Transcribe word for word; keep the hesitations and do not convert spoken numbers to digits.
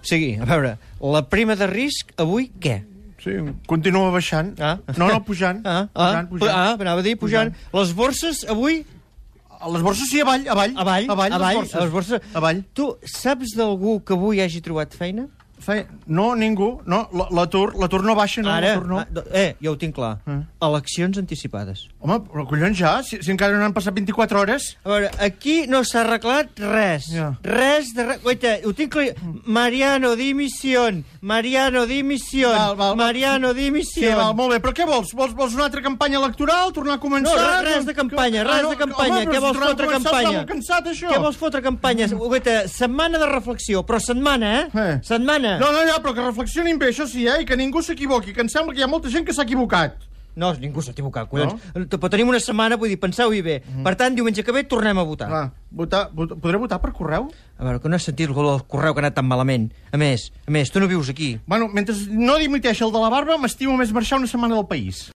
sigui, a veure, la prima de risc, avui, què? Sí, continua baixant. Ah. No, no, pujant. Ah, pujant, ah, pujant. ah, anava a dir, pujant. Pujant. Les borses, avui... Les borses sí, avall, avall. Avall, avall, avall, les borses. les borses. Avall. Tu saps d'algú que avui hagi trobat feina? Fe... No, ningú. No, l- l'atur, l'atur no baixa, no, Ara, l'atur no. ah, eh, ja ho tinc clar. Eh. Eleccions anticipades. Home, però collons ja, si, si encara no han passat vint-i-quatre hores. A veure, aquí no s'ha arreglat res. Ja. Res de res. Guaita, ho tinc clar. Mariano, dimisión. Mariano, dimisión. Val, val, val. Mariano, Sí, dimisión. val, molt bé, però què vols? Vols, vols una altra campanya electoral? Tornar a No, començar? res, res de campanya, res Ah, no, de campanya. home, Què però vols si tornar a fotre començar campanya? Està molt cansat, això. Què vols fotre campanya? Guaita, setmana de reflexió, però setmana, eh? Eh. Setmana. No, no, ja, però que reflexionin bé, això sí, eh? I que ningú s'equivoqui, que em sembla que hi ha molta gent que s'ha equivocat. No, ningú s'ha equivocat, collons. No? Però tenim una setmana, vull dir, penseu-hi bé. Mm. Per tant, diumenge que ve tornem a votar. Clar, votar, votar, podré votar per correu? A veure, que no has sentit el correu que ha anat tan malament. A més, a més, tu no vius aquí. Bueno, mentre no dimiteixi el de la barba, m'estimo més marxar una setmana del país.